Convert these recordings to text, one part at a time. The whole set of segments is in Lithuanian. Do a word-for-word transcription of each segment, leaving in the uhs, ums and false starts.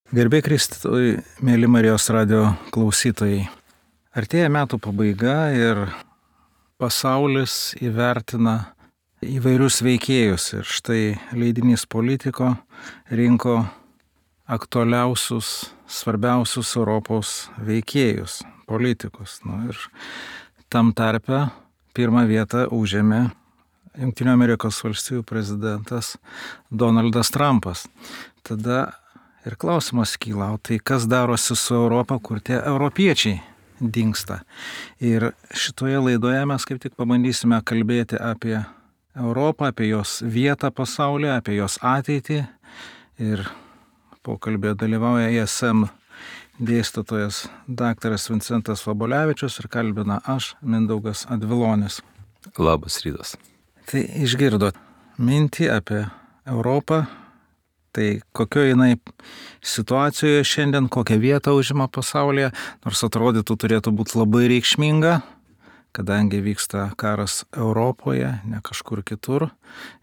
Garbė Kristui, mėly Marijos radio klausytojai. Artėja metų pabaiga ir pasaulis įvertina įvairius veikėjus. Ir štai leidinys Politico rinko aktualiausius, svarbiausius Europos veikėjus, politikus. Nu, ir tam tarpe pirmą vietą užėmė Jungtinių Amerikos valstijų prezidentas Donaldas Trumpas. Tada ir klausimas kyla, o tai kas darosi su Europa, kur tie europiečiai dingsta. Ir šitoje laidoje mes kaip tik pabandysime kalbėti apie Europą, apie jos vietą pasaulyje, apie jos ateitį. Ir pokalbėje dalyvauja I S M dėstytojas daktaras Vincentas Vabolevičius ir kalbina aš, Mindaugas Advilonis. Labas rytas. Tai išgirdot mintį apie Europą. Tai kokioje jinai situacijoje šiandien, kokią vietą užima pasaulyje, nors atrodytų turėtų būti labai reikšminga, kadangi vyksta karas Europoje, ne kažkur kitur,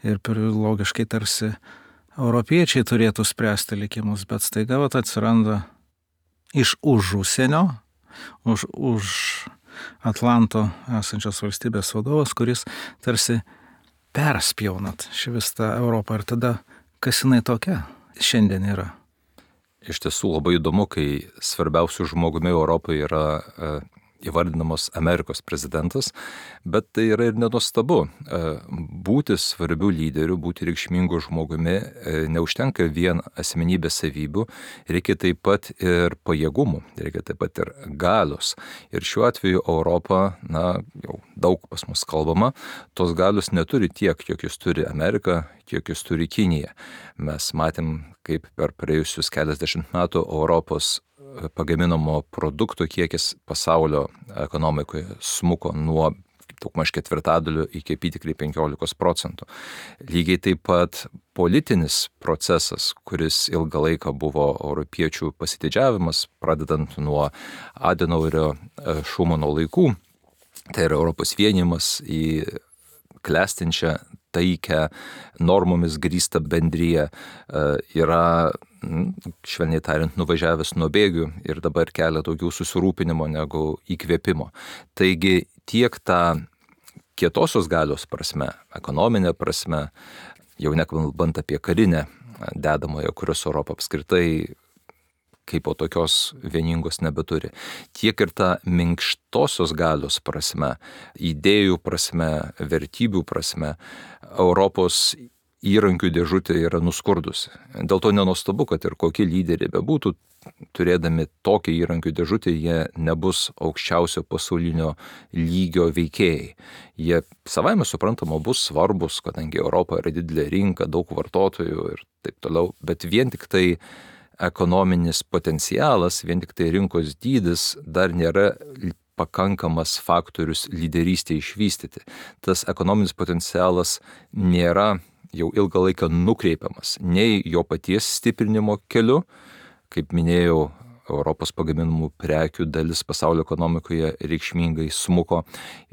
ir logiškai tarsi europiečiai turėtų spręsti likimus, bet staiga vat atsiranda iš už užsienio, už, už Atlanto esančios valstybės vadovas, kuris tarsi perspjaunat šį visą Europą ir tada kas jinai tokia šiandien yra? Iš tiesų labai įdomu, kai svarbiausių žmogumi Europoje yra e, įvardinamos Amerikos prezidentas, bet tai yra ir nenuostabu. E, būti svarbių lyderių, būti reikšmingų žmogumi e, neužtenka vien asmenybės savybių, reikia taip pat ir pajėgumų, reikia taip pat ir galios. Ir šiuo atveju Europa, na, jau daug pas mus kalbama, tos galios neturi tiek, kiek jūs turi Amerika, kiek jūs turi Kinija. Mes matėm, kaip per praėjusius keliasdešimt metų Europos pagaminamo produktų kiekis pasaulio ekonomikoje smuko nuo daugmaž ketvirtadalio iki apytikriai penkiolikos procentų. Lygiai taip pat politinis procesas, kuris ilgą laiką buvo europiečių pasididžiavimas, pradedant nuo Adenauerio Šumano laikų, tai yra Europos vienijimas į klestinčią taikę, normomis grįstą bendriją, yra, švelniai tariant, nuvažiavęs nuo bėgių ir dabar kelia daugiau susirūpinimo negu įkvėpimo. Taigi tiek tą kietosios galios prasme, ekonominė prasme, jau nekalbant apie karinę dedamoje, kurios Europa apskritai kaip po tokios vieningos nebeturi. Tiek ir ta minkštosios galios prasme, idėjų prasme, vertybių prasme, Europos įrankių dėžutė yra nuskurdusi. Dėl to nenuostabu, kad ir kokie lyderiai bebūtų, turėdami tokią įrankių dėžutę, jie nebus aukščiausio pasaulinio lygio veikėjai. Jie savaime suprantama bus svarbus, kadangi Europa yra didelė rinka, daug vartotojų ir taip toliau, bet vien tik tai ekonominis potencialas, vien tik tai rinkos dydis dar nėra pakankamas faktorius lyderystėje išvystyti. Tas ekonominis potencialas nėra jau ilgą laiką nukreipiamas nei jo paties stiprinimo keliu, kaip minėjau, Europos pagaminamų prekių dalis pasaulio ekonomikoje reikšmingai smuko,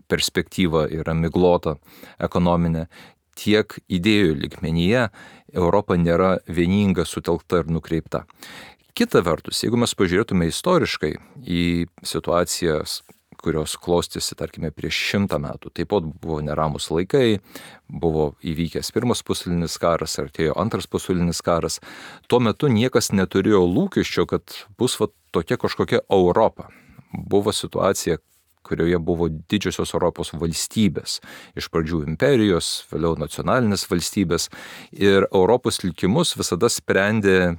perspektyva yra miglota ekonominė. Tiek idėjų lygmenyje Europa nėra vieninga, sutelkta ir nukreipta. Kita vertus, jeigu mes pažiūrėtume istoriškai į situacijas, kurios klostėsi, tarkime, prieš šimtą metų, taip pat buvo neramus laikai, buvo įvykęs pirmas pasaulinis karas, artėjo antras pasaulinis karas, tuo metu niekas neturėjo lūkesčio, kad bus va, tokia kažkokia Europa. Buvo situacija, kurioje buvo didžiosios Europos valstybės, iš pradžių imperijos, vėliau nacionalinės valstybės, ir Europos likimus visada sprendė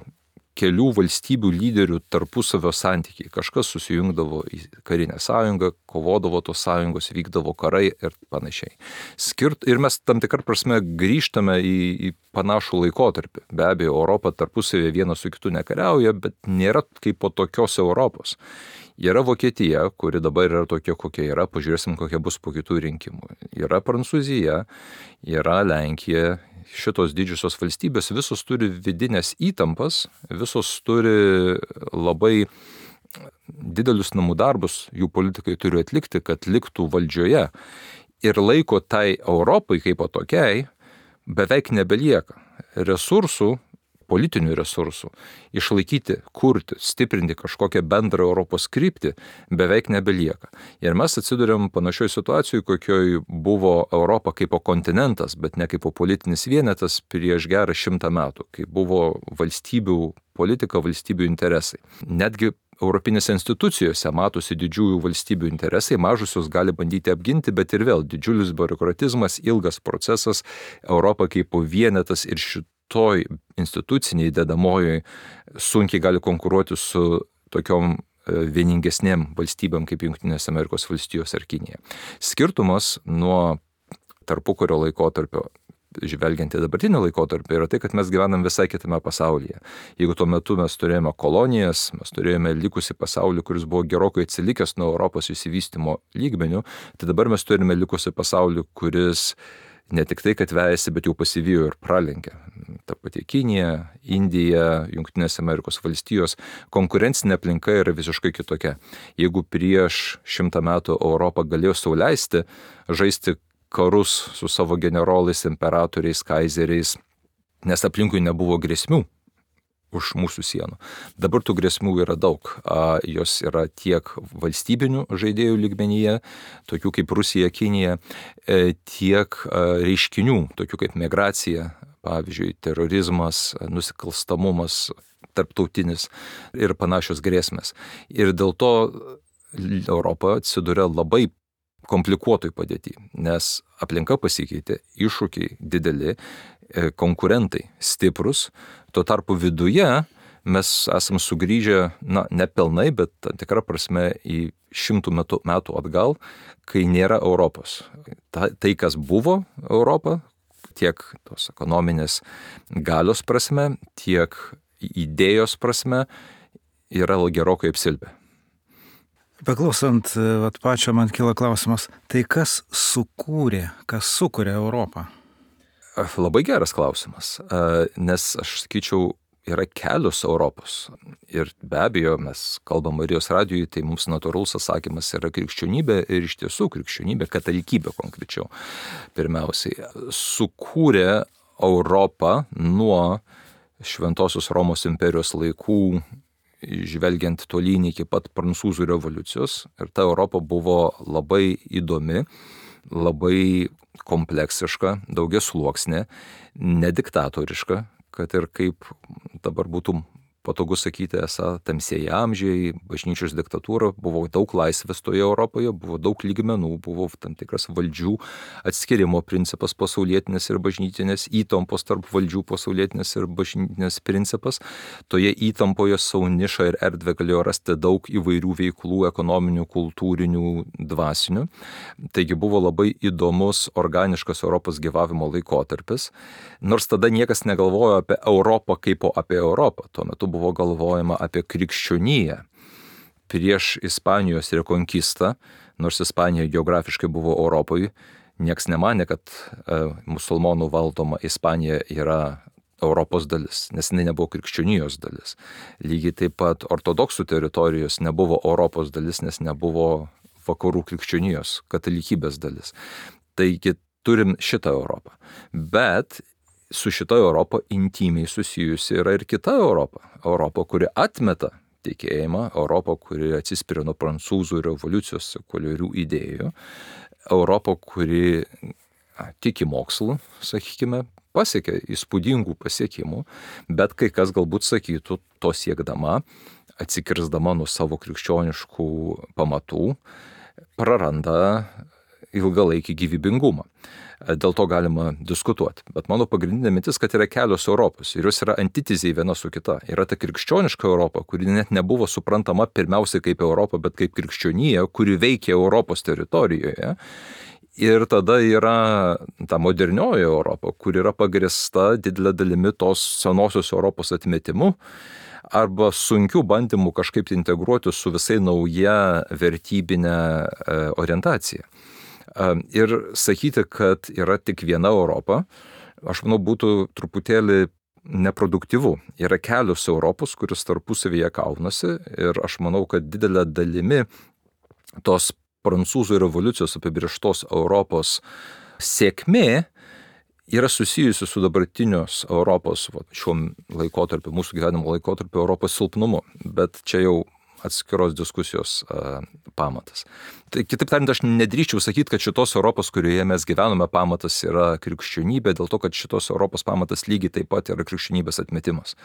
kelių valstybių lyderių tarpusavio santykiai. Kažkas susijungdavo į karinę sąjungą, kovodavo tos sąjungos, vykdavo karai ir panašiai. Skirt, ir mes tam tikrą prasme grįžtame į, į panašų laikotarpį. Be abejo, Europa tarpusavėje vienas su kitu nekariauja, bet nėra kaip po tokios Europos. Yra Vokietija, kuri dabar yra tokia, kokia yra, pažiūrėsim, kokia bus po kitų rinkimų. Yra Prancūzija, yra Lenkija. Šitos didžiosios valstybės visos turi vidinės įtampas, visos turi labai didelius namų darbus, jų politikai turi atlikti, kad liktų valdžioje. Ir laiko tai Europai kaip tokiai beveik nebelieka. Resursų politinių resursų, išlaikyti, kurti, stiprinti kažkokią bendrą Europos kryptį beveik nebelieka. Ir mes atsiduriam panašioj situacijoj, kokioj buvo Europa kaip kontinentas, bet ne kaip politinis vienetas prieš gerą šimtą metų, kai buvo valstybių politika, valstybių interesai. Netgi Europinėse institucijose matosi didžiųjų valstybių interesai, mažusios gali bandyti apginti, bet ir vėl didžiulis biurokratizmas, ilgas procesas, Europa kaip vienetas ir šitoj instituciniai dedamojoj sunkiai gali konkuruoti su tokiom vieningesnėm valstybėm kaip Jungtinės Amerikos valstijos ar Kinija. Skirtumas nuo tarpukario laikotarpio, žvelgiant į dabartinį laikotarpį, yra tai, kad mes gyvenam visai kitame pasaulyje. Jeigu tuo metu mes turėjome kolonijas, mes turėjome likusį pasaulį, kuris buvo gerokai atsilikęs nuo Europos išsivystymo lygmenių, tai dabar mes turime likusį pasaulį, kuris ne tik tai, kad vejasi, bet jau pasivijo ir pralenkė. Ta pati Kinija, Indija, Jungtinės Amerikos valstijos, konkurencinė aplinka yra visiškai kitokia. Jeigu prieš šimtą metų Europą galėjo sau leisti žaisti karus su savo generolais, imperatoriais, kaizeriais, nes aplinkui nebuvo grėsmių už mūsų sienų. Dabar tų grėsmių yra daug. Jos yra tiek valstybinių žaidėjų lygmenyje, tokių kaip Rusija, Kinija, tiek reiškinių, tokių kaip migracija, pavyzdžiui, terorizmas, nusikalstamumas, tarptautinis ir panašios grėsmės. Ir dėl to Europa atsiduria labai komplikuotoj padėtį, nes aplinka pasikeitė, iššūkiai dideli, konkurentai stiprus, tuo tarpu viduje mes esam sugrįžę, na, ne pilnai, bet tam tikrą prasme į šimtų metų, metų atgal, kai nėra Europos. Ta, tai, kas buvo Europa, tiek tos ekonominės galios prasme, tiek idėjos prasme, yra gerokai apsilpę. Beklausant, vat pačio man kyla klausimas, tai kas sukūrė, kas sukūrė Europą? Labai geras klausimas, nes aš sakyčiau, yra kelios Europos. Ir be abejo, mes kalbam Marijos radijui, tai mums natūralus atsakymas yra krikščionybė ir iš tiesų krikščionybė, katalikybė konkrečiau. Pirmiausiai, sukūrė Europą nuo Šventosios Romos imperijos laikų, žvelgiant tolyn iki pat Prancūzų revoliucijos. Ir ta Europa buvo labai įdomi, labai kompleksiška, daugiasluoksnė, nediktatoriška, kad ir kaip dabar būtų patogu sakyti, esą tamsieji amžiai, bažnyčios diktatūra, buvo daug laisvės toje Europoje, buvo daug lygmenų, buvo tam tikras valdžių atskirimo principas pasaulietinės ir bažnytinės, įtampos tarp valdžių pasaulietinės ir bažnytinės principas. Toje įtampoje savo nišą ir erdvę galėjo rasti daug įvairių veiklų, ekonominių, kultūrinių, dvasinių. Taigi buvo labai įdomus, organiškas Europos gyvavimo laikotarpis, nors tada niekas negalvojo apie Europą kaip apie Europą. Tuo metu buvo galvojama apie krikščioniją prieš Ispanijos rekonkistą, nors Ispanija geografiškai buvo Europoje, nieks nemanė, kad e, musulmonų valdoma Ispanija yra Europos dalis, nes jinai nebuvo krikščionijos dalis. Lygiai taip pat ortodoksų teritorijos nebuvo Europos dalis, nes nebuvo vakarų krikščionijos, katalikybės dalis. Taigi turim šitą Europą. Bet su šita Europa intymiai susijusi yra ir kita Europa. Europa, kuri atmeta tikėjimą, Europa, kuri atsispiria nuo prancūzų revoliucijos sekuliarių idėjų, Europa, kuri a, tiki mokslu, sakykime, pasiekė įspūdingų pasiekimų, bet kai kas galbūt sakytų, to siekdama, atsikirsdama nuo savo krikščioniškų pamatų, praranda ilgalaikį gyvybingumą. Dėl to galima diskutuoti. Bet mano pagrindinė mintis, kad yra kelios Europos ir jos yra antitezė viena su kita. Yra ta krikščioniška Europa, kuri net nebuvo suprantama pirmiausiai kaip Europa, bet kaip krikščionija, kuri veikia Europos teritorijoje. Ir tada yra ta modernioji Europa, kur yra pagrįsta didelė dalimi tos senosios Europos atmetimu arba sunkių bandymų kažkaip integruoti su visai nauja vertybinė orientacija. Ir sakyti, kad yra tik viena Europa, aš manau, būtų truputėlį neproduktyvu. Yra kelios Europos, kuris tarpusavyje kaunasi ir aš manau, kad didelė dalimi tos prancūzų revoliucijos apibrėžtos Europos sėkmė yra susijusi su dabartinios Europos, va, šiuo laikotarpiu, mūsų gyvenimo laikotarpiu Europos silpnumu, bet čia jau atskiros diskusijos a, pamatas. Tai kitaip tariant, aš nedrįščiau sakyti, kad šitos Europos, kurioje mes gyvename, pamatas yra krikščionybė, dėl to, kad šitos Europos pamatas lygiai taip pat yra krikščionybės atmetimas.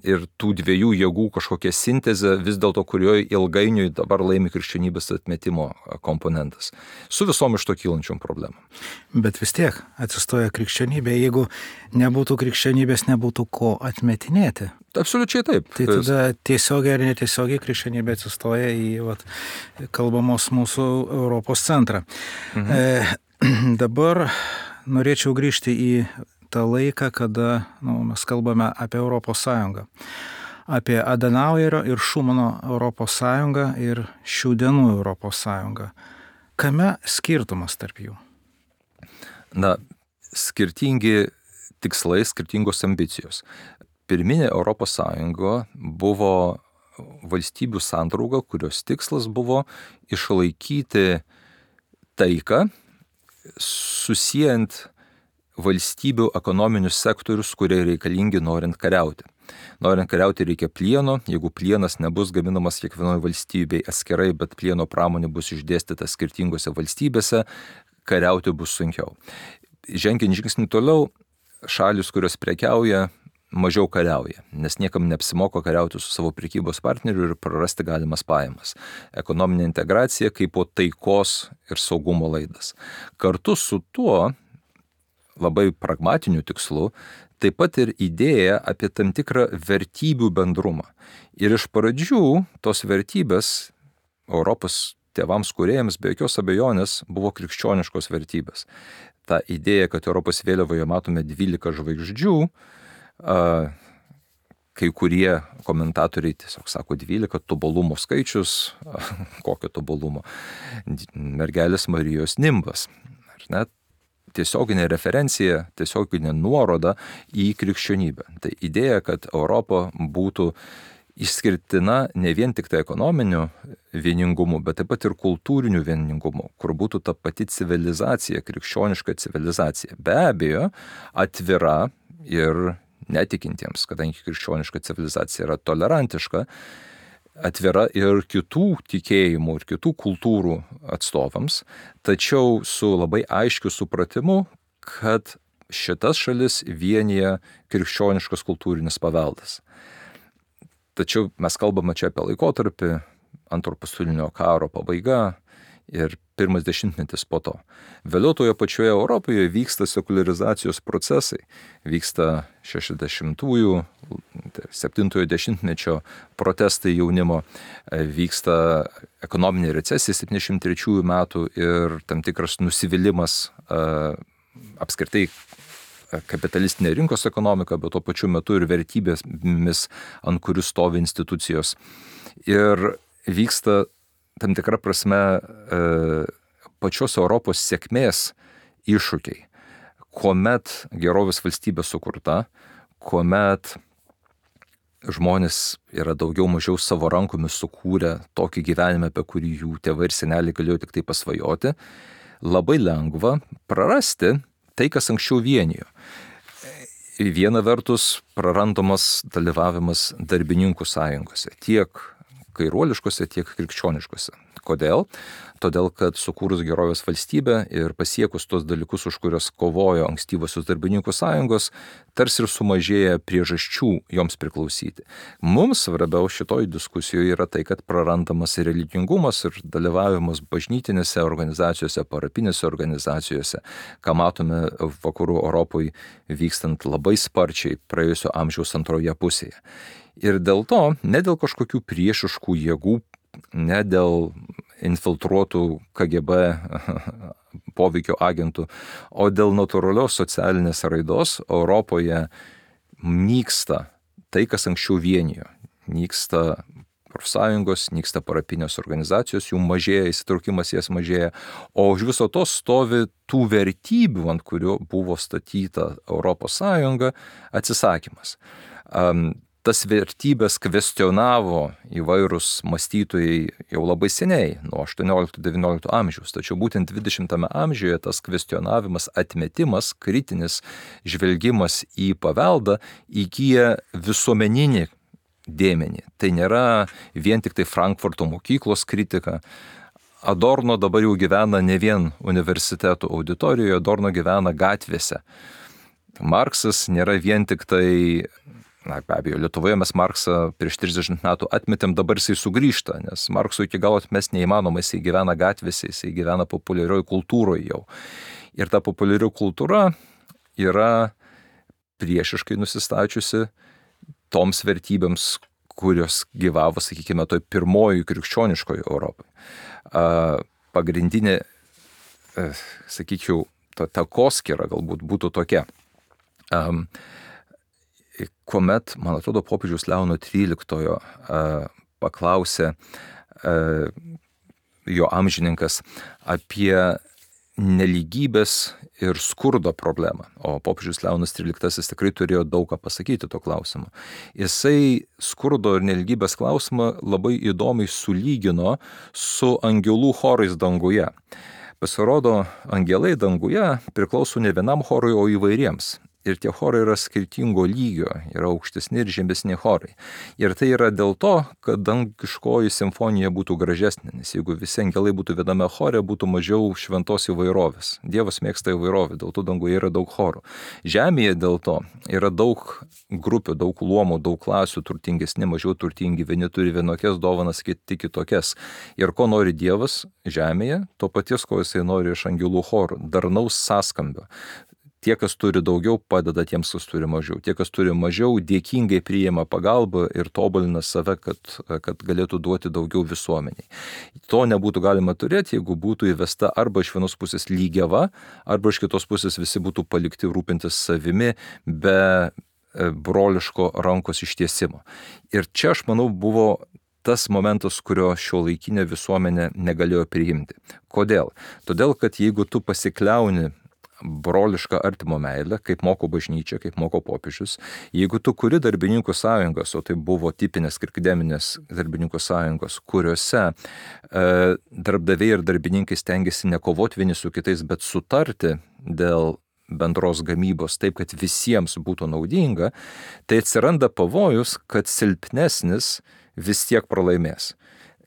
Ir tų dviejų jėgų kažkokia sintezė, vis dėlto kurioje ilgainiui dabar laimi krikščionybės atmetimo komponentas. Su visom iš to kylančiom problemom. Bet vis tiek atsistoja krikščionybė, jeigu nebūtų krikščionybės, nebūtų ko atmetinėti. Absoliučiai taip. Tai tada tiesiogiai ar netiesiogiai krikščionybė atsistoja į vat, kalbamos mūsų Europos centrą. Mhm. E, dabar norėčiau grįžti į tą laiką, kada nu, mes kalbame apie Europos Sąjungą. Apie Adenauerio ir Šumano Europos Sąjungą ir šių dienų Europos Sąjungą. Kame skirtumas tarp jų? Na, skirtingi tikslai, skirtingos ambicijos. Pirminė Europos Sąjunga buvo valstybių sandrauga, kurios tikslas buvo išlaikyti taiką, susijant valstybių ekonominius sektorius, kurie reikalingi norint kariauti. Norint kariauti reikia plieno, jeigu plienas nebus gaminamas kiekvienoje valstybėje atskirai, bet plieno pramonė bus išdėstyta skirtingose valstybėse, kariauti bus sunkiau. Žengiant žingsnį toliau, šalis, kurios prekiauja, mažiau kariauja, nes niekam neapsimoka kariauti su savo prekybos partneriu ir prarasti galimas pajamas. Ekonominė integracija kaip po taikos ir saugumo laidas. Kartu su tuo, labai pragmatiniu tikslu, taip pat ir idėja apie tam tikrą vertybių bendrumą. Ir iš pradžių tos vertybės Europos tėvams kūrėjams be jokios abejonės buvo krikščioniškos vertybės. Ta idėja, kad Europos vėliavoje matome dvylika žvaigždžių, kai kurie komentatoriai tiesiog sako dvylika tobulumo skaičius, kokio tobulumo, mergelės Marijos nimbas. Ar ne? Tiesioginė referencija, tiesioginė nuoroda į krikščionybę. Tai idėja, kad Europa būtų išskirtina ne vien tik tai ekonominiu vieningumu, bet taip pat ir kultūriniu vieningumu, kur būtų ta pati civilizacija, krikščioniška civilizacija. Be abejo, atvira ir netikintiems, kadangi krikščioniška civilizacija yra tolerantiška, atvira ir kitų tikėjimų ir kitų kultūrų atstovams, tačiau su labai aiškiu supratimu, kad šitas šalis vienyje krikščioniškas kultūrinis paveldas. Tačiau mes kalbame čia apie laikotarpį, antro pasaulinio karo pabaiga ir pirmas dešimtmetis po to. Vėliau toje pačioje Europoje vyksta sekularizacijos procesai, vyksta šešiasdešimtųjų, septintojo dešimtmečio protestai jaunimo, vyksta ekonominė recesija septyniasdešimt trečiųjų metų ir tam tikras nusivylimas apskritai kapitalistinė rinkos ekonomika, bet tuo pačiu metu ir vertybėmis, ant kurių stovi institucijos. Ir vyksta tam tikra prasme pačios Europos sėkmės iššūkiai, kuomet gerovės valstybė sukurta, kuomet žmonės yra daugiau mažiau savo rankomis sukūrę tokį gyvenimą, apie kurį jų tėvai ir seneliai galėjo tik tai pasvajoti, labai lengva prarasti tai, kas anksčiau vienijo. Viena vertus prarandamas dalyvavimas darbininkų sąjungose, tiek kairuoliškose, tiek krikščioniškose. Kodėl? Todėl, kad sukūrus gerovės valstybę ir pasiekus tos dalykus, už kurios kovojo ankstyvosios darbininkų sąjungos, tarsi ir sumažėja priežasčių joms priklausyti. Mums svarbiau šitoj diskusijoje yra tai, kad prarandamas ir religingumas, ir dalyvavimas bažnytinėse organizacijose, parapinėse organizacijose, ką matome vakarų Europoje vykstant labai sparčiai praėjusio amžiaus antroje pusėje. Ir dėl to, ne dėl kažkokių priešiškų jėgų, ne dėl infiltruotų K G B poveikio agentų, o dėl natūralios socialinės raidos Europoje nyksta tai, kas anksčiau vienijo. Nyksta profsąjungos, nyksta parapinės organizacijos, jų mažėja, įsitraukimas jas mažėja, o už viso to stovi tų vertybių, ant kurių buvo statyta Europos Sąjunga, atsisakymas. Um, Tas vertybės kvestionavo įvairūs mąstytojai jau labai seniai, nuo aštuoniolikto devyniolikto amžiaus, tačiau būtent dvidešimtame amžiuje tas kvestionavimas, atmetimas, kritinis žvelgimas į paveldą įgyja visuomeninį dėmenį. Tai nėra vien tik tai Frankfurto mokyklos kritika. Adorno dabar jau gyvena ne vien universitetų auditorijoje, Adorno gyvena gatvėse. Marksas nėra vien tik tai, na be abejo, Lietuvoje mes Marksą prieš trisdešimt metų atmetėm, dabar jisai sugrįžta, nes Markso iki galo atmest neįmanoma, jisai gyvena gatvėse, jisai gyvena populiarioje kultūroje jau. Ir ta populiarioji kultūra yra priešiškai nusistačiusi toms vertybėms, kurios gyvavo, sakykime, toj pirmoji krikščioniškoje Europoje. Pagrindinė, sakyčiau, ta takoskyra galbūt būtų tokia. Um, kuomet, man atrodo, popiežiaus Leono tryliktojo uh, paklausė uh, jo amžininkas apie nelygybės ir skurdo problemą, o popiežius Leonas tryliktasis tikrai turėjo daug ką pasakyti to klausimu. Jisai skurdo ir nelygybės klausimą labai įdomiai sulygino su angelų chorais danguje. Pasirodo, angelai danguje priklauso ne vienam chorui, o įvairiems. Ir tie chorai yra skirtingo lygio, yra aukštesni ir žemesni chorai. Ir tai yra dėl to, kad dangiškoji simfonija būtų gražesnė, nes jeigu visi angelai būtų viename chore, būtų mažiau šventos įvairovės. Dievas mėgsta įvairovę, dėl to danguje yra daug chorų. Žemėje dėl to yra daug grupių, daug luomų, daug klasių, turtingesni, mažiau turtingi, vieni turi vienokias dovanas, kiti kitokias. Ir ko nori Dievas žemėje, to paties, ko jisai nori iš angelų chorų, darnaus sąskambio. Tie, kas turi daugiau, padeda tiems, kas turi mažiau. Tie, kas turi mažiau, dėkingai priima pagalbą ir tobulina save, kad, kad galėtų duoti daugiau visuomeniai. To nebūtų galima turėti, jeigu būtų įvesta arba iš vienos pusės lygiava, arba iš kitos pusės visi būtų palikti rūpintis savimi be broliško rankos ištiesimo. Ir čia, aš manau, buvo tas momentas, kurio šiuolaikinė visuomenė negalėjo priimti. Kodėl? Todėl, kad jeigu tu pasikliauni brolišką artimo meilę, kaip moko bažnyčia, kaip moko popiežius. Jeigu tu kuri darbininkų sąjungos, o tai buvo tipinės krikdeminės darbininkų sąjungos, kuriuose e, darbdaviai ir darbininkai stengiasi nekovoti vieni su kitais, bet sutarti dėl bendros gamybos taip, kad visiems būtų naudinga, tai atsiranda pavojus, kad silpnesnis vis tiek pralaimės.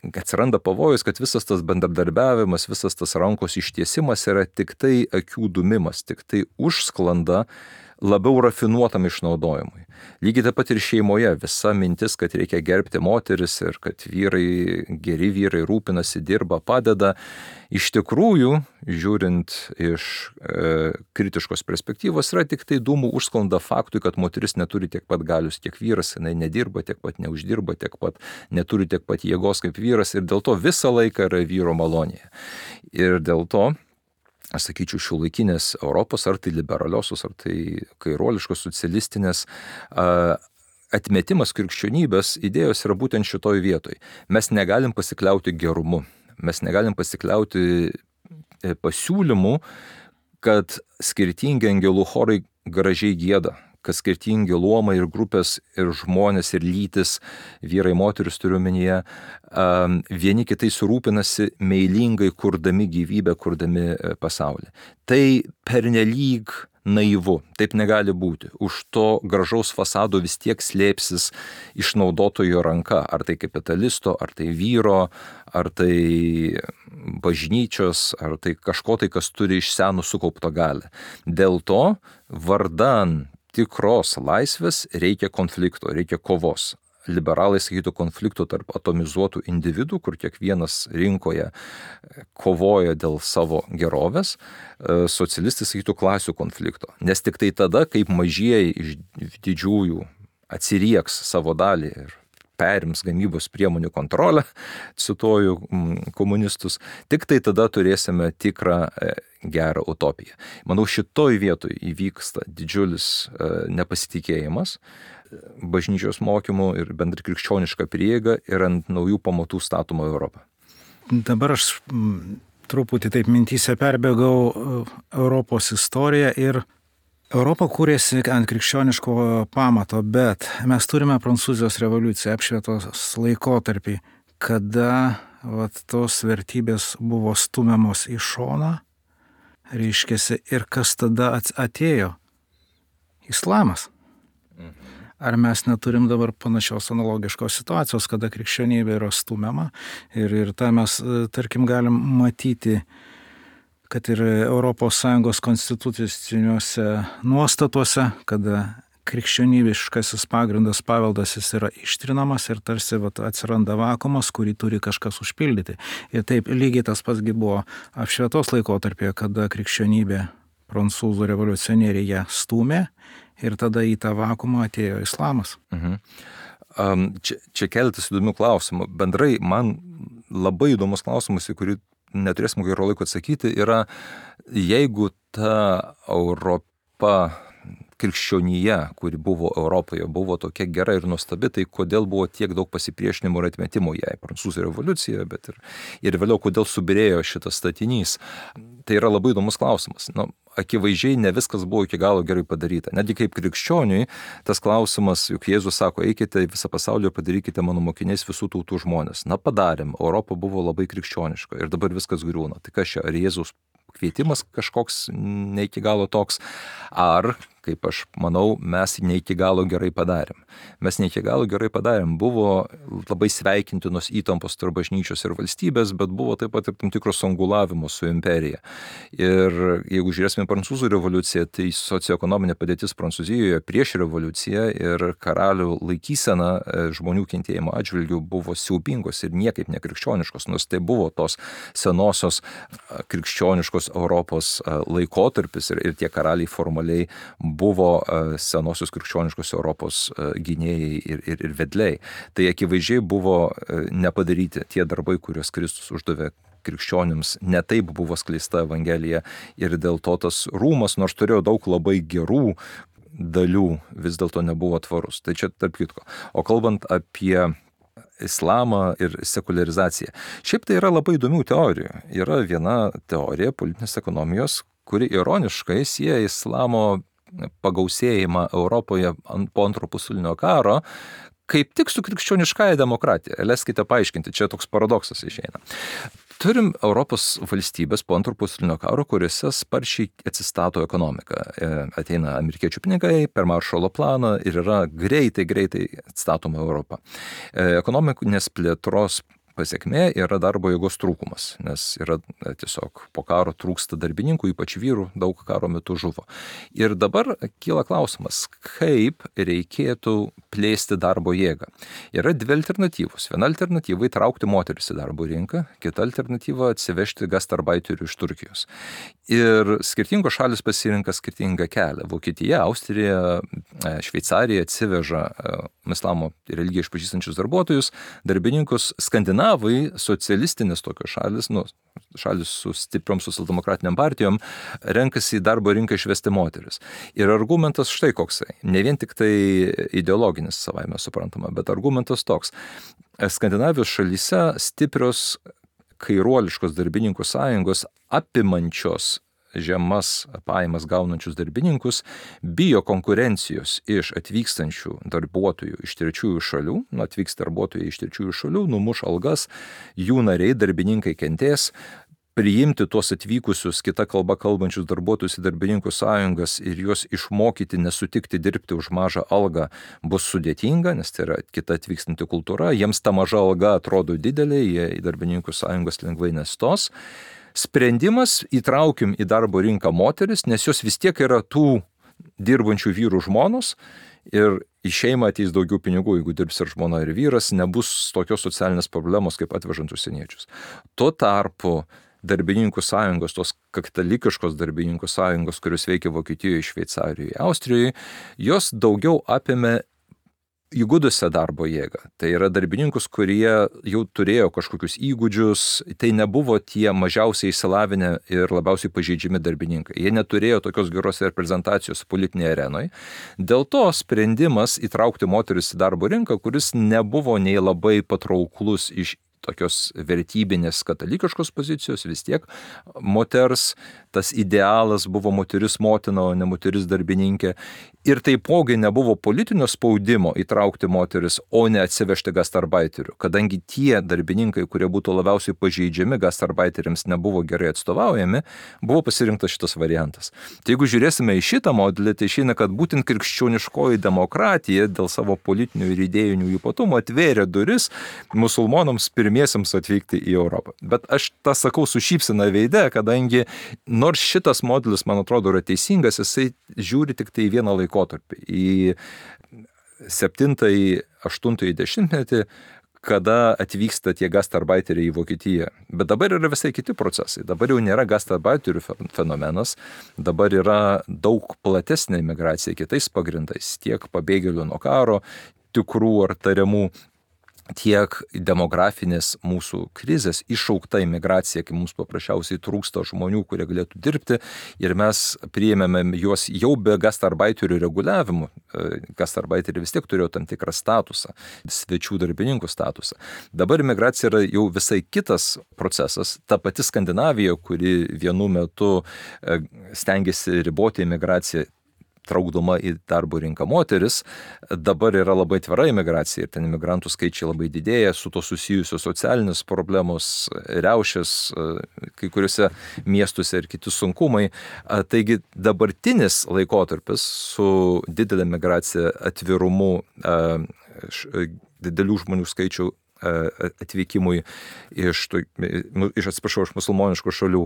Atsiranda pavojus, kad visas tas bendradarbiavimas, visas tas rankos ištiesimas yra tik tai akių dumimas, tik tai užsklanda labiau rafinuotam išnaudojimui. Lygiai taip pat ir šeimoje visa mintis, kad reikia gerbti moteris ir kad vyrai, geri vyrai rūpinasi, dirba, padeda. Iš tikrųjų, žiūrint iš e, kritiškos perspektyvos, yra tik tai dūmų užsklanda faktui, kad moteris neturi tiek pat galius, tiek vyras, jinai nedirba, tiek pat neuždirba, tiek pat neturi tiek pat jėgos kaip vyras ir dėl to visą laiką yra vyro malonėje. Ir dėl to, aš sakyčiau, šiuolaikinės Europos, ar tai liberaliosios, ar tai kairuoliškos, socialistinės, atmetimas krikščionybės idėjos yra būtent šitoj vietoj. Mes negalim pasikliauti gerumu, mes negalim pasikliauti pasiūlymu, kad skirtingi angelų chorai gražiai gieda, kad skirtingi luomai ir grupės ir žmonės ir lytis, vyrai, moteris turiu omenyje, vieni kitais rūpinasi meilingai kurdami gyvybę, kurdami pasaulį. Tai pernelyg naivu, taip negali būti. Už to gražaus fasado vis tiek slėpsis išnaudotojo ranka, ar tai kapitalisto, ar tai vyro, ar tai bažnyčios, ar tai kažko tai, kas turi iš senų sukaupto galią. Dėl to vardan tikros laisvės reikia konflikto, reikia kovos. Liberalai sakytų konflikto tarp atomizuotų individų, kur kiekvienas rinkoje kovoja dėl savo gerovės. Socialistai sakytų klasių konflikto. Nes tik tai tada, kaip mažieji iš didžiųjų atsirieks savo dalį ir perims gamybos priemonių kontrolę, cituoju komunistus, tik tai tada turėsime tikrą gerą utopiją. Manau, šitoj vietoj įvyksta didžiulis nepasitikėjimas bažnyčios mokymų ir bendrai krikščioniška prieiga ir ant naujų pamatų statoma Europą. Dabar aš truputį taip mintyse perbėgau Europos istoriją ir Europa kūrėsi ant krikščioniško pamato, bet mes turime Prancūzijos revoliuciją, apšvietos laikotarpį, kada vat, tos vertybės buvo stumiamos į šoną, reiškiasi, ir kas tada atėjo? Islamas. Ar mes neturim dabar panašios analogiškos situacijos, kada krikščionybė yra stumiama ir, ir tą mes, tarkim, galim matyti, kad ir Europos Sąjungos konstituciniuose nuostatuose, kada krikščionybiškasis pagrindas paveldas jis yra ištrinamas ir tarsi vat, atsiranda vakumas, kurį turi kažkas užpildyti. Ir taip lygiai tas pats buvo apšvietos laikotarpyje, kada krikščionybė prancūzų revoliucionieriai ją stūmė ir tada į tą vakumą atėjo islamas. Mhm. Um, čia, čia keletas įdomių klausimų. Bendrai man labai įdomus klausimas, į kurį neturėsim gero laiko atsakyti, yra jeigu ta Europa, krikščionija, kuri buvo Europoje, buvo tokia gera ir nuostabi, tai kodėl buvo tiek daug pasipriešinimo ir atmetimo jai, Prancūzų revoliucija, bet ir, ir vėliau kodėl subirėjo šitas statinys. Tai yra labai įdomus klausimas. Nu, akivaizdžiai ne viskas buvo iki galo gerai padaryta. Netgi kaip krikščioniui, tas klausimas, juk Jėzus sako, eikite į visą pasaulį ir padarykite mano mokiniais visų tautų žmonės. Na, padarėm, Europa buvo labai krikščioniška ir dabar viskas griūna. Tai kas čia, ar Jėzus kvietimas kažkoks ne iki galo toks, ar, kaip aš manau, mes ne iki galo gerai padarėm. Mes ne iki galo gerai padarėm. Buvo labai sveikintinos įtampos tarp bažnyčios ir valstybės, bet buvo taip pat ir tam tikros angulavimo su imperija. Ir jeigu žiūrėsime Prancūzų revoliuciją, tai socioekonominė padėtis Prancūzijoje prieš revoliuciją ir karalių laikysena žmonių kentėjimo atžvilgių buvo siaubingos ir niekaip nekrikščioniškos, nors tai buvo tos senosios krikščioniškos Europos laikotarpis ir, ir tie karaliai formaliai buvo senosios krikščioniškos Europos gynėjai ir, ir, ir vedliai. Tai akivaizdžiai buvo nepadaryti tie darbai, kuriuos Kristus uždavė krikščionims, ne taip buvo skleista Evangelija ir dėl to tas rūmas, nors turėjo daug labai gerų dalių, vis dėlto nebuvo tvarus. Tai čia tarp kitko. O kalbant apie islamą ir sekularizaciją. Šiaip tai yra labai įdomių teorijų. Yra viena teorija politinės ekonomijos, kuri ironiškai sieja islamo pagausėjimą Europoje po antro pasaulinio karo kaip tik su krikščioniškąja demokratija. Leiskite paaiškinti, čia toks paradoksas išeina. Turim Europos valstybės po antro pasaulinio karo, kuriuose sparčiai atsistato ekonomika. Ateina amerikiečių pinigai per Maršalo planą ir yra greitai, greitai atstatoma Europa. Ekonominės plėtros pasiekmė yra darbo jėgos trūkumas, nes yra tiesiog po karo trūksta darbininkų, ypač vyrų, daug karo metu žuvo. Ir dabar kyla klausimas, kaip reikėtų plėsti darbo jėgą. Yra dvi alternatyvos. Viena alternatyva įtraukti moteris į darbo rinką, kita alternatyva atsivežti gastarbaiterių iš Turkijos. Ir skirtingos šalis pasirinka skirtingą kelią. Vokietija, Austrija, Šveicarija atsiveža islamo religiją išpažįstančius darbuotojus, darbininkus. Skandinavai, socialistinės tokios šalis, nu, šalis su stipriom socialdemokratiniam partijom, renkasi į darbo rinką išvesti moteris. Ir argumentas štai koksai. Ne vien tik tai ideologinis savaime suprantama, bet argumentas toks. Skandinavijos šalyse stiprios kairuoliškos darbininkų sąjungos apimančios žemas pajamas gaunančius darbininkus bijo konkurencijos iš atvykstančių darbuotojų iš trečiųjų šalių, nu, atvyks darbuotojai iš trečiųjų šalių, numuš algas, jų nariai, darbininkai kentės, priimti tuos atvykusius kita kalba kalbančius darbuotojus į darbininkų sąjungas ir juos išmokyti nesutikti dirbti už mažą algą bus sudėtinga, nes tai yra kita atvykstanti kultūra, jiems ta maža alga atrodo didelė, jie į darbininkų sąjungas lengvai nestos. Sprendimas įtraukim į darbo rinką moteris, nes jos vis tiek yra tų dirbančių vyrų žmonos ir į šeimą ateis daugiau pinigų, jeigu dirbs ir žmona ir vyras, nebus tokios socialinės problemos kaip atvežant užsieniečius. Tuo tarpu darbininkų sąjungos, tos katalikiškos darbininkų sąjungos, kurios veikia Vokietijoje, Šveicarijoje, Austrijoje, jos daugiau apėmė įgudusią darbo jėgą. Tai yra darbininkus, kurie jau turėjo kažkokius įgūdžius, tai nebuvo tie mažiausiai išsilavinę ir labiausiai pažeidžiami darbininkai. Jie neturėjo tokios geros reprezentacijos politinėje arenoje. Dėl to sprendimas įtraukti moteris į darbo rinką, kuris nebuvo nei labai patrauklus iš tokios vertybinės katalikiškos pozicijos, vis tiek moters, tas idealas buvo moteris motina, o ne moteris darbininkė. Ir taipogi nebuvo politinio spaudimo įtraukti moteris, o ne atsivežti gastarbaiterių, kadangi tie darbininkai, kurie būtų labiausiai pažeidžiami, gastarbaiteriams nebuvo gerai atstovaujami, buvo pasirinktas šitas variantas. Tai jeigu žiūrėsime į šitą modelį, tai išeina, kad būtent krikščioniškoji demokratija dėl savo politinių ir idėjinių ypatumų atvėrė duris musulmonams pirmiesiams atvykti į Europą. Bet aš tą sakau su šypsena veide, kadangi nors šitas modelis, man atrodo, yra teisingas, jisai žiūri tik tai į vieną laikotarpį, į septintąjį, aštuntąjį dešimtmetį, kada atvyksta tie gastarbaiteriai į Vokietiją. Bet dabar yra visai kiti procesai. Dabar jau nėra gastarbaiterių fenomenas, dabar yra daug platesnė imigracija kitais pagrindais, tiek pabėgėlių nuo karo, tikrų ar tariamų, tiek demografinės mūsų krizės iššaukta imigracija, kai mums paprasčiausiai trūksta žmonių, kurie galėtų dirbti, ir mes priėmėme juos jau be gastarbaiterių reguliavimų. Gastarbaiteriai vis tiek turėjo tam tikrą statusą, svečių darbininkų statusą. Dabar imigracija yra jau visai kitas procesas. Ta pati Skandinavija, kuri vienu metu stengiasi riboti imigraciją, traukdama į darbo rinką moteris, dabar yra labai atvira imigracija ir ten imigrantų skaičiai labai didėja, su to susijusios socialinės problemos, riaušės kai kuriuose miestuose ir kiti sunkumai. Taigi dabartinis laikotarpis su didelė migracija, atvirumu, didelių žmonių skaičių atvykimui iš, iš atsiprašau, iš musulmoniškų šalių,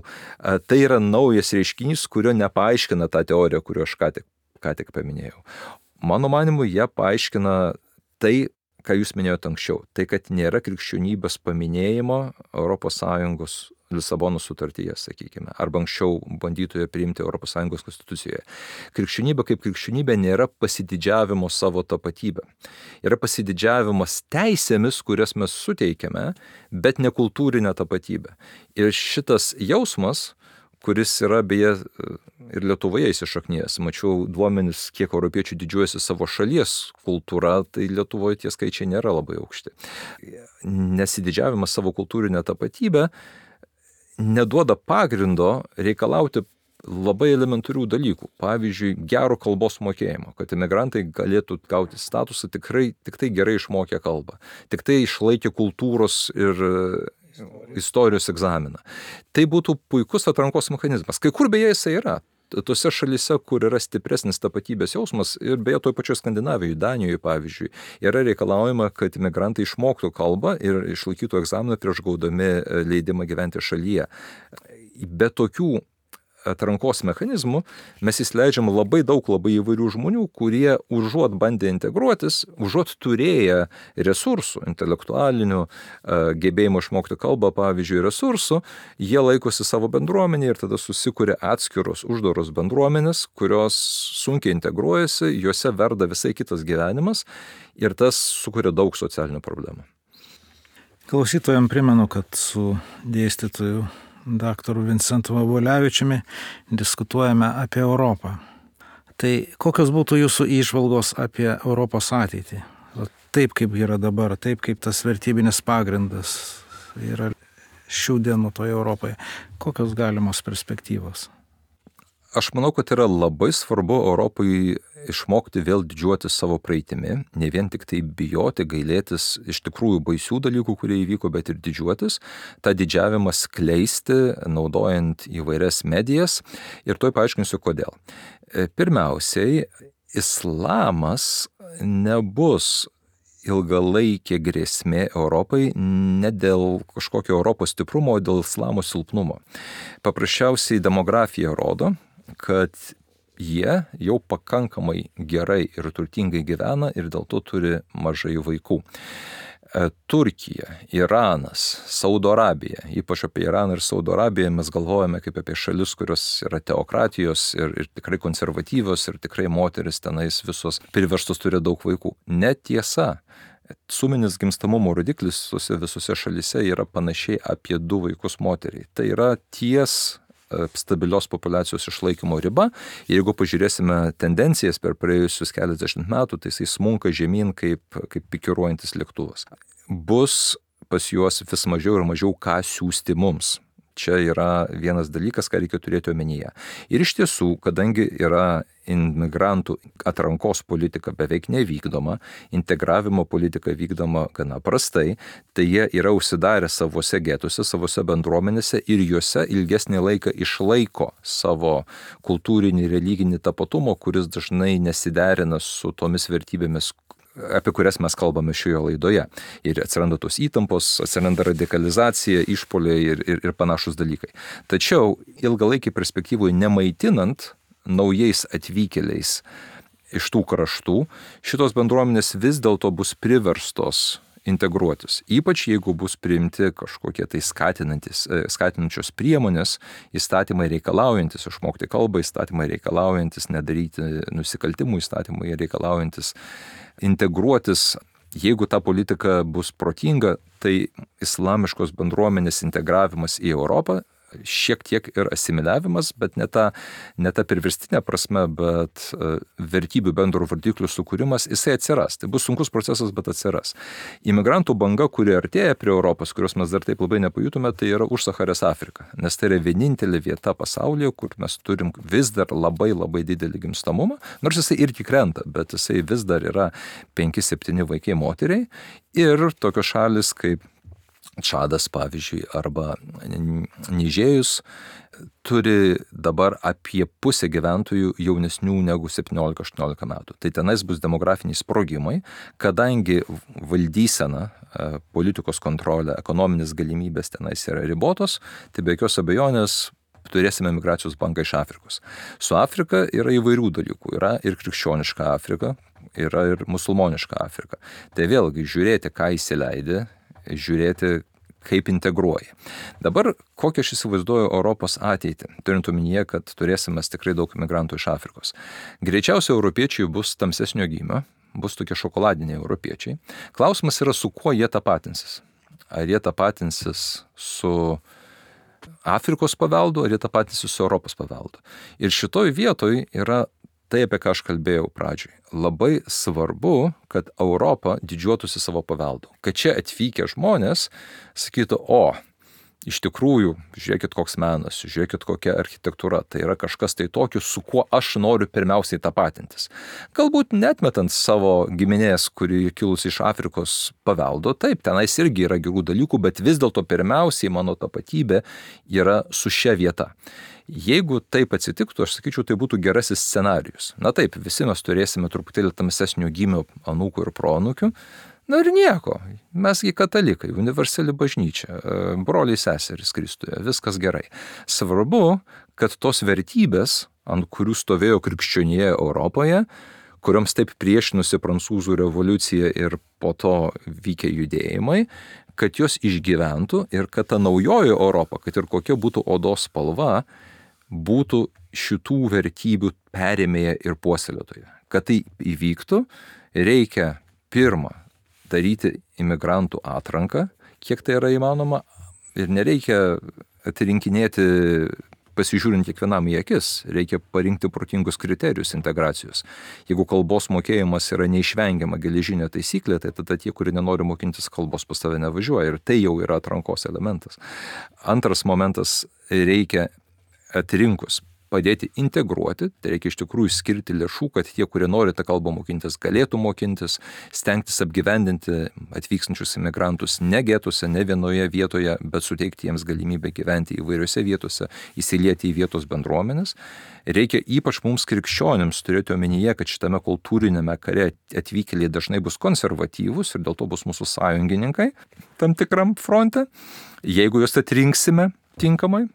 tai yra naujas reiškinys, kurio nepaaiškina tą teoriją, kuriuo aš ką tik ką tik paminėjau. Mano manimu, jie paaiškina tai, ką jūs minėjote anksčiau. Tai, kad nėra krikščionybės paminėjimo Europos Sąjungos Lisabonos sutartyje, sakykime, arba anksčiau bandytoje priimti Europos Sąjungos konstitucijoje. Krikščionybė kaip krikščionybė nėra pasididžiavimo savo tapatybę. Yra pasididžiavimas teisėmis, kurias mes suteikiame, bet ne kultūrinė tapatybė. Ir šitas jausmas, kuris yra beje ir Lietuvoje įsišaknėjęs. Mačiau duomenis, kiek europiečių didžiuojasi savo šalies kultūra, tai Lietuvoje tie skaičiai nėra labai aukšti. Nesididžiavimas savo kultūrinę tapatybę neduoda pagrindo reikalauti labai elementarių dalykų. Pavyzdžiui, gero kalbos mokėjimo, kad imigrantai galėtų gauti statusą tikrai, tik tai gerai išmokę kalbą, tik tai išlaikė kultūros ir istorijos egzaminą. Tai būtų puikus atrankos mechanizmas. Kai kur beje jisai yra. Tose šalise, kur yra stipresnis tapatybės jausmas, ir beje toj pačioj Skandinavijoje, Danijoje pavyzdžiui, yra reikalaujama, kad imigrantai išmoktų kalbą ir išlaikytų egzaminą prieš gaudami leidimą gyventi šalyje. Be tokių atrankos mechanizmų mes įsileidžiam labai daug labai įvairių žmonių, kurie užuot bandę integruotis, užuot turėję resursų, intelektualinių, gebėjimo išmokti kalbą, pavyzdžiui, resursų, jie laikosi savo bendruomenį ir tada susikuria atskiros uždaros bendruomenės, kurios sunkiai integruojasi, juose verda visai kitas gyvenimas ir tas sukuria daug socialinių problemų. Klausytojams primenu, kad su dėstytoju daktaru Vincentu Vabulevičiumi diskutuojame apie Europą. Tai kokios būtų jūsų įžvalgos apie Europos ateitį? Taip, kaip yra dabar, taip, kaip tas vertybinis pagrindas yra šių dienų toje Europoje. Kokios galimos perspektyvos? Aš manau, kad yra labai svarbu Europai išmokti vėl didžiuotis savo praeitimi, ne vien tik tai bijoti, gailėtis iš tikrųjų baisių dalykų, kurie įvyko, bet ir didžiuotis, tą didžiavimą skleisti, naudojant įvairias medijas, ir tuoj paaiškinsiu, kodėl. Pirmiausiai, islamas nebus ilgalaikė grėsmė Europai ne dėl kažkokio Europos stiprumo, o dėl islamo silpnumo. Paprasčiausiai demografija rodo, kad jie jau pakankamai gerai ir turtingai gyvena ir dėl to turi mažai vaikų. Turkija, Iranas, Saudo Arabija, ypač apie Iraną ir Saudo Arabiją mes galvojame kaip apie šalis, kurios yra teokratijos ir, ir tikrai konservatyvios ir tikrai moteris tenais visos priverstos turi daug vaikų. Netiesa. Suminis gimstamumo rodiklis visose, visose šalise yra panašiai apie du vaikus moteriai. Tai yra ties stabilios populiacijos išlaikymo riba. Jeigu pažiūrėsime tendencijas per praėjusius keliasdešimt metų, tai jisai smunka žemyn kaip, kaip pikiruojantis lėktuvas. Bus pas juos vis mažiau ir mažiau ką siūsti mums. Čia yra vienas dalykas, ką reikia turėti omenyje. Ir iš tiesų, kadangi yra imigrantų atrankos politika beveik nevykdoma, integravimo politika vykdoma gana prastai, tai jie yra užsidarę savose getuose, savose bendruomenėse ir juose ilgesnį laiką išlaiko savo kultūrinį, religinį tapatumą, kuris dažnai nesiderina su tomis vertybėmis, apie kurias mes kalbame šioje laidoje. Ir atsiranda tos įtampos, atsiranda radikalizacija, išpoliai ir, ir, ir panašus dalykai. Tačiau ilgalaikiai perspektyvoje nemaitinant naujais atvykėliais iš tų kraštų, šitos bendruomenės vis dėlto bus priverstos integruotis. Ypač jeigu bus priimti kažkokie tai skatinančios priemonės, įstatymai reikalaujantis išmokti kalbą, įstatymai reikalaujantis nedaryti nusikaltimų, įstatymai reikalaujantis integruotis. Jeigu ta politika bus protinga, tai islamiškos bendruomenės integravimas į Europą šiek tiek ir asimiliavimas, bet ne ta, ne ta priverstinė prasme, bet vertybių bendrų vardiklių sukūrimas, jisai atsiras. Tai bus sunkus procesas, bet atsiras. Imigrantų banga, kuri artėja prie Europos, kurios mes dar taip labai nepajutome, tai yra už Sacharės Afrika. Nes tai yra vienintelė vieta pasaulyje, kur mes turim vis dar labai labai didelį gimstamumą, nors jisai irgi krenta, bet jisai vis dar yra penki septyni vaikai moteriai. Ir tokios šalis kaip Čadas, pavyzdžiui, arba Nižėjus turi dabar apie pusę gyventojų jaunesnių negu septyniolika aštuoniolika metų. Tai tenais bus demografiniai sprogimai, kadangi valdysena, politikos kontrolė, ekonominės galimybės tenais yra ribotos, tai be jokios abejonės turėsime migracijos bangą iš Afrikos. Su Afrika yra įvairių dalykų. Yra ir krikščioniška Afrika, yra ir musulmoniška Afrika. Tai vėlgi žiūrėti, ką įsileidė, žiūrėti, kaip integruoja. Dabar kokią aš įsivaizduoju Europos ateitį, turint omenyje, kad turėsime tikrai daug imigrantų iš Afrikos. Greičiausiai europiečiai bus tamsesnio gymio, bus tokie šokoladiniai europiečiai. Klausimas yra, su kuo jie tapatinsis. Ar jie tapatinsis su Afrikos paveldu, ar jie tapatinsis su Europos paveldu. Ir šitoj vietoj yra tai, apie ką aš kalbėjau pradžioj. Labai svarbu, kad Europa didžiuotųsi savo paveldu. Kad čia atvykę žmonės sakytų, o, iš tikrųjų, žiūrėkit koks menas, žiūrėkit kokia architektūra, tai yra kažkas tai tokio, su kuo aš noriu pirmiausiai tapatintis. Galbūt netmetant savo giminės, kuri kilusi iš Afrikos paveldo, taip, tenais irgi yra gerų dalykų, bet vis dėlto pirmiausiai mano tapatybė yra su šia vieta. Jeigu taip atsitiktų, aš sakyčiau, tai būtų gerasis scenarijus. Na taip, visi mes turėsime truputėlį tamsesnio gymio anūkų ir proanūkių. Na ir nieko, mesgi katalikai, universali bažnyčia, broliai seserys Kristuje, viskas gerai. Svarbu, kad tos vertybės, ant kurių stovėjo krikščionija Europoje, kurioms taip priešinusi prancūzų revoliucija ir po to vykę judėjimai, kad jos išgyventų ir kad ta naujoji Europa, kad ir kokia būtų odos spalva, būtų šitų vertybių perėmėja ir puoselėtoja. Kad tai įvyktų, reikia pirma daryti imigrantų atranką, kiek tai yra įmanoma, ir nereikia atrinkinėti pasižiūrint kiekvienam į akis, reikia parinkti protingus kriterijus integracijos. Jeigu kalbos mokėjimas yra neišvengiama geležinė taisyklė, tai tada tie, kurie nenori mokintis kalbos, pas tave nevažiuoja, ir tai jau yra atrankos elementas. Antras momentas, reikia atrinkus padėti integruoti, tai reikia iš tikrųjų skirti lėšų, kad tie, kurie nori tą kalbą mokintis, galėtų mokintis, stengtis apgyvendinti atvykstančius imigrantus ne getuose, ne vienoje vietoje, bet suteikti jiems galimybę gyventi įvairiose vietose, įsilieti į vietos bendruomenės. Reikia ypač mums krikščionims turėti omenyje, kad šitame kultūrinėme kare atvykėliai dažnai bus konservatyvūs ir dėl to bus mūsų sąjungininkai tam tikram fronte, jeigu juos atrinksime tinkamai.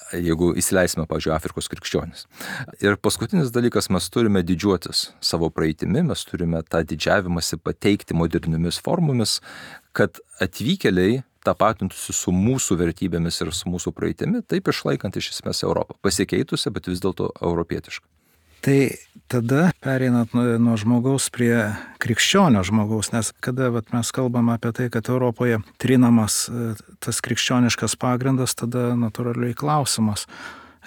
Jeigu įsileisime, pavyzdžiui, Afrikos krikščionis. Ir paskutinis dalykas, mes turime didžiuotis savo praeitimi, mes turime tą didžiavimąsi pateikti moderniomis formomis, kad atvykėliai tapatintųsi su mūsų vertybėmis ir su mūsų praeitimi, taip išlaikant iš esmės Europą. Pasikeitusi, bet vis dėlto europietiška. Tai tada pereinant nuo, nuo žmogaus prie krikščionio žmogaus, nes kada vat, mes kalbame apie tai, kad Europoje trinamas tas krikščioniškas pagrindas, tada natūraliai klausimas.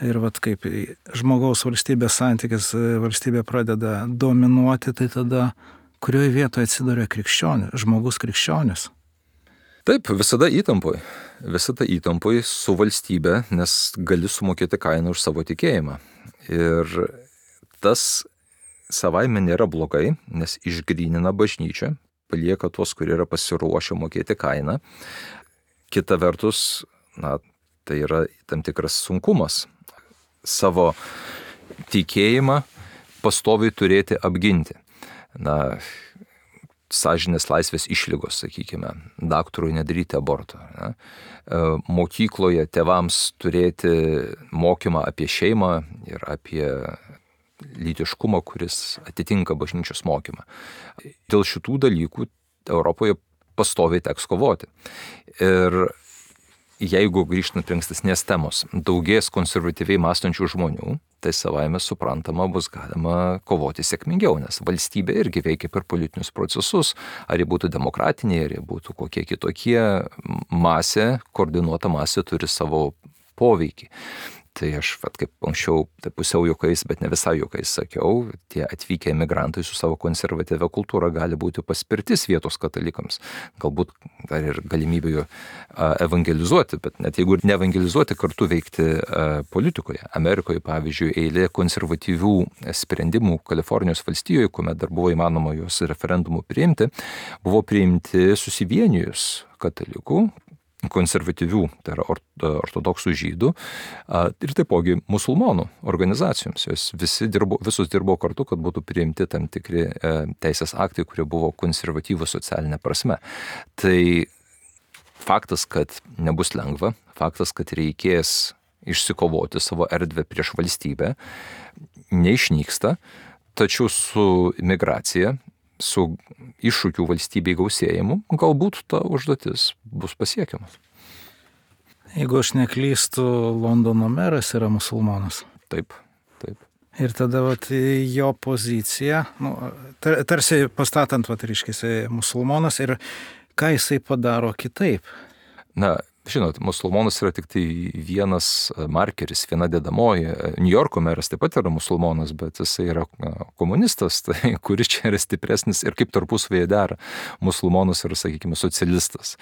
Ir vat, kaip žmogaus valstybės santykis, valstybė pradeda dominuoti, tai tada kurioje vietoje atsiduria krikščionis, žmogus krikščionis? Taip, visada įtampoj. Visada įtampoj su valstybe, nes gali sumokėti kainą už savo tikėjimą. Ir tas savaime nėra blogai, nes išgrynina bažnyčią, palieka tuos, kurie yra pasiruošę mokėti kainą. Kita vertus, na, tai yra tam tikras sunkumas. Savo tikėjimą pastoviai turėti apginti. Na, sąžinės laisvės išlygos, sakykime, daktarui nedaryti aborto. Ne? Mokykloje tėvams turėti mokymą apie šeimą ir apie lytiškumą, kuris atitinka bažnyčios mokymą. Dėl šitų dalykų Europoje pastoviai teks kovoti. Ir jeigu grįžtant prie ankstesnės temos, daugės konservatyviai mąstančių žmonių, tai savaime suprantama bus galima kovoti sėkmingiau, nes valstybė irgi veikia per politinius procesus, ar jie būtų demokratiniai, ar jie būtų kokie kitokie, masė, koordinuota masė turi savo poveikį. Tai aš, vat, kaip anksčiau, tai pusiau juokais, bet ne visai juokais sakiau, tie atvykę emigrantai su savo konservatyvia kultūra gali būti paspirtis vietos katalikams. Galbūt dar ir galimybė jų evangelizuoti, bet net jeigu ir neevangelizuoti, kartu veikti politikoje. Amerikoje, pavyzdžiui, eilė konservatyvių sprendimų Kalifornijos valstijoje, kuomet dar buvo įmanoma juos referendumų priimti, buvo priimti susivienijus katalikų, konservatyvių, tai yra ortodoksų žydų ir taipogi musulmonų organizacijoms. Jos visi dirbo, visus dirbo kartu, kad būtų priimti tam tikri teisės aktai, kurie buvo konservatyvūs socialinė prasme. Tai faktas, kad nebus lengva, faktas, kad reikės išsikovoti savo erdvę prieš valstybę, neišnyksta, tačiau su migracija, su iššūkių valstybei gausėjimu, galbūt ta užduotis bus pasiekiama. Jeigu aš neklystu, Londono meras yra musulmonas. Taip, taip. Ir tada vat, jo pozicija, nu, tar, tarsi pastatant, vat, reiškia, musulmonas ir ką jisai padaro kitaip. Na, žinot, musulmonas yra tik tai vienas markeris, viena dedamoji. New Yorko meras taip pat yra musulmonas, bet jisai yra komunistas, tai kuris čia yra stipresnis ir kaip tarpusavėje dera. Musulmonas yra, sakykime, socialistas.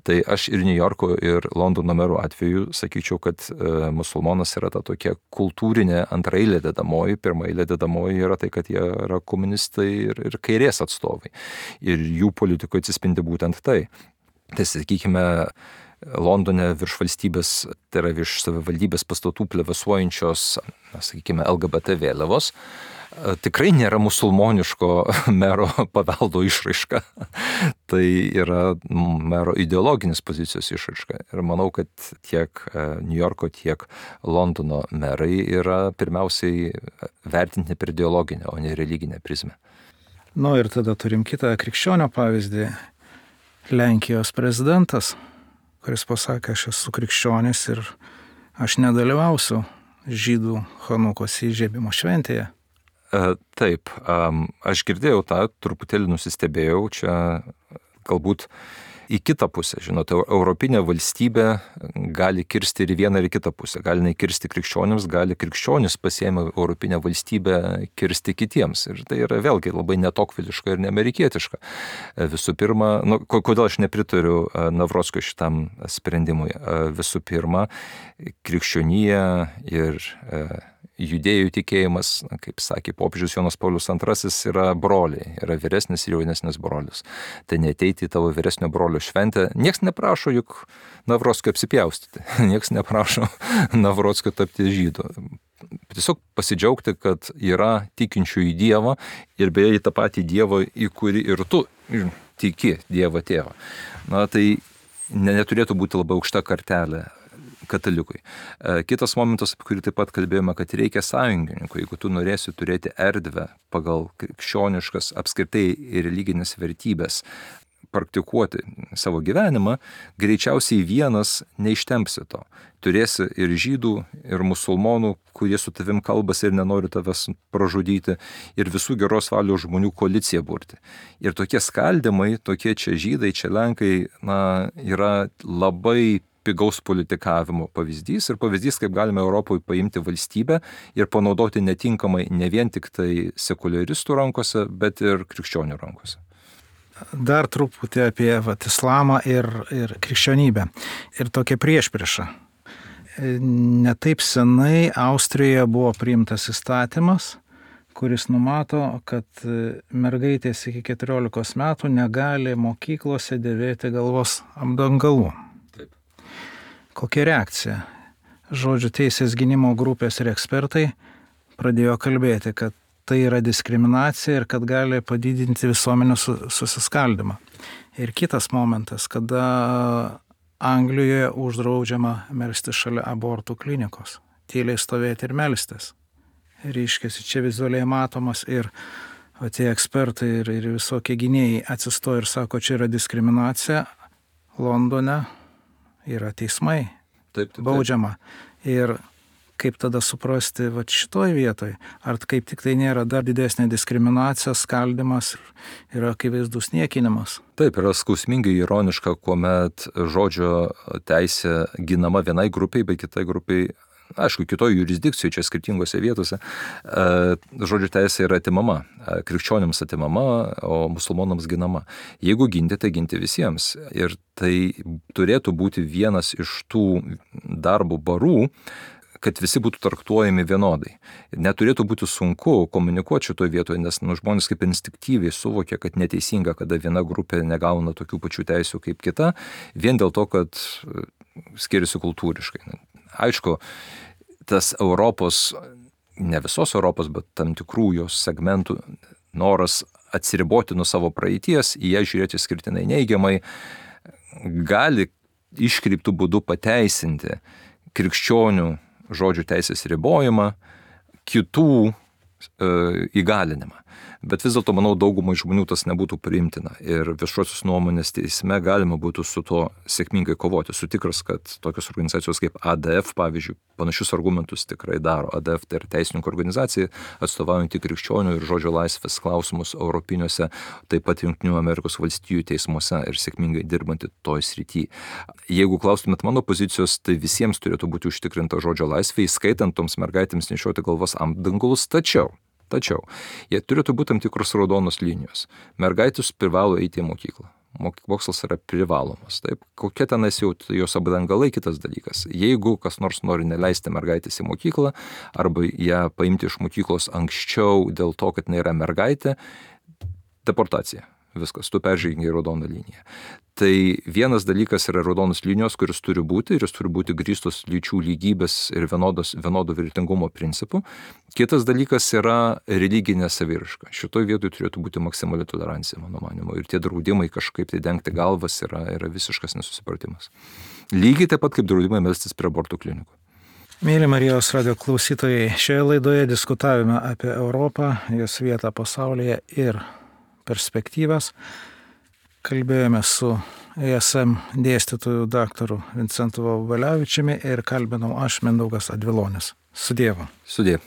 Tai aš ir New Yorko, ir Londono merų atveju sakyčiau, kad musulmonas yra ta tokia kultūrinė antraeilė dedamoji. Pirmaeilė dedamoji yra tai, kad jie yra komunistai ir, ir kairės atstovai. Ir jų politikoje atsispindi būtent tai. Tai, sakykime, Londone virš valstybės, tai yra virš savivaldybės pastatų plevėsuojančios, sakykime, L G B T vėliavos, tikrai nėra musulmoniško mero paveldo išraiška. Tai yra mero ideologinės pozicijos išraiška. Ir manau, kad tiek New Yorko, tiek Londono merai yra pirmiausiai vertinti per ideologinę, o ne religinę prizmę. Nu ir tada turim kitą krikščionio pavyzdį. Lenkijos prezidentas, kuris pasakė, aš esu krikščionis ir aš nedalyvausiu žydų Chanukos įžiebimo šventėje. E, taip, um, aš girdėjau tą, truputėlį nusistebėjau, čia galbūt į kitą pusę, žinote, europinė valstybė gali kirsti ir į vieną ir į kitą pusę, gali nekirsti krikščionims, gali krikščionis pasiėmę europinę valstybę kirsti kitiems. Ir tai yra vėlgi labai netokviliška ir neamerikietiška. Visų pirma, nu, kodėl aš nepritariu Navrockio šitam sprendimui? Visų pirma, krikščionija ir judėjų tikėjimas, kaip sakė popiežius Jonas Paulius antrasis, yra broliai, yra vyresnis ir jaunesnis brolis. Tai neateiti į tavo vyresnio brolio šventę. Niekas neprašo juk Navrockio apsipjaustyti, niekas neprašo Navrockio tapti žydu. Tiesiog pasidžiaugti, kad yra tikinčių į Dievą ir beje į tą patį Dievą, į kurį ir tu tiki, Dievą tėvą. Na tai neturėtų būti labai aukšta kartelė katalikui. Kitas momentas, apie kurį taip pat kalbėjome, kad reikia sąjungininkų. Jeigu tu norėsi turėti erdvę pagal krikščioniškas apskritai ir religinės vertybės praktikuoti savo gyvenimą, greičiausiai vienas neištempsi to. Turėsi ir žydų, ir musulmonų, kurie su tavim kalbasi ir nenori tavęs pražudyti, ir visų geros valios žmonių koaliciją burti. Ir tokie skaldymai, tokie čia žydai, čia lenkai, na, yra labai pigaus politikavimo pavyzdys ir pavyzdys, kaip galime Europoje paimti valstybę ir panaudoti netinkamai ne vien tik tai sekuliaristų rankose, bet ir krikščionių rankose. dar truputį apie vat, islamą ir, ir krikščionybę. Ir tokia priešprieša. Netaip senai Austrijoje buvo priimtas įstatymas, kuris numato, kad mergaitės iki keturiolikos metų negali mokyklose dėvėti galvos apdangalų. Taip. Kokia reakcija? Žodžiu, teisės gynimo grupės ir ekspertai pradėjo kalbėti, kad tai yra diskriminacija ir kad gali padidinti visuomenės susiskaldymą. Ir kitas momentas, kada Anglijoje uždraudžiama melstis šalia abortų klinikos, tyliai stovėti ir melstis. Reiškiasi, čia vizualiai matomas ir o tie ekspertai ir, ir visokie gynėjai atsistoja ir sako, čia yra diskriminacija. Londone yra teismai, taip, taip, taip. baudžiama. Ir kaip tada suprasti vat šitoj vietoj, ar kaip tik tai nėra dar didesnė diskriminacija, skaldimas ir akivaizdus niekinimas. Taip, yra skausmingai ironiška, kuomet žodžio teisė ginama vienai grupiai, bet kitai grupiai, aišku, kitoj jurisdikcijoje, čia skirtingose vietose, žodžio teisė yra atimama, krikščionims atimama, o musulmonams ginama. Jeigu ginti, tai ginti visiems. Ir tai turėtų būti vienas iš tų darbo barų, kad visi būtų traktuojami vienodai. Neturėtų būti sunku komunikuoti šitoje vietoje, nes nu, žmonės kaip instinktyviai suvokia, kad neteisinga, kada viena grupė negauna tokių pačių teisių kaip kita, vien dėl to, kad skiriasi kultūriškai. Aišku, tas Europos, ne visos Europos, bet tam tikrų jos segmentų noras atsiriboti nuo savo praeities, į ją žiūrėti skirtinai neigiamai, gali iškreiptų būdų pateisinti krikščionių žodžių teisės ribojimą, kitų e, įgalinimą. Bet vis dėlto, manau, daugumai žmonių tas nebūtų priimtina. Ir viešosios nuomonės teisme galima būtų su to sėkmingai kovoti. Esu tikras, kad tokios organizacijos kaip A D F, pavyzdžiui, panašius argumentus tikrai daro. A D F tai yra teisininkų organizacija, atstovaujantį krikščionių ir žodžio laisvės klausimus europiniuose, taip pat Jungtinių Amerikos valstijų teismuose ir sėkmingai dirbanti toj srity. Jeigu klaustumėt mano pozicijos, tai visiems turėtų būti užtikrinta žodžio laisvė, įskaitant toms mergaitėms nešioti galvos apdangalus, tačiau Tačiau, jie turėtų būti tam tikros raudonos linijos. Mergaitės privalo eiti į mokyklą. Mokslas yra privalomas. Taip? Kokia tenais jau jos apdangalai, kitas dalykas. Jeigu kas nors nori neleisti mergaitės į mokyklą, arba ją paimti iš mokyklos anksčiau dėl to, kad jinai yra mergaitė, deportacija. Viskas, tu peržengi raudoną liniją. Tai vienas dalykas yra raudonos linijos, kuris turi būti ir jis turi būti grįstos lyčių lygybės ir vienodos, vienodo vertingumo principų. Kitas dalykas yra religinė saviraiška. Šitoj vietoj turėtų būti maksimali tolerancija, mano manimo. Ir tie draudimai kažkaip tai dengti galvas yra, yra visiškas nesusipratimas. Lygiai taip pat kaip draudimai melstis prie abortų klinikų. Mėly Marijos radio klausytojai, šioje laidoje diskutavome apie Europą, jos vietą pasaulyje ir perspektyvas. Kalbėjome su E S M dėstytoju daktaru Vincentu Vaubelevičiumi ir kalbinau aš, Mindaugas Advilonis. Su Dievu. Sudie.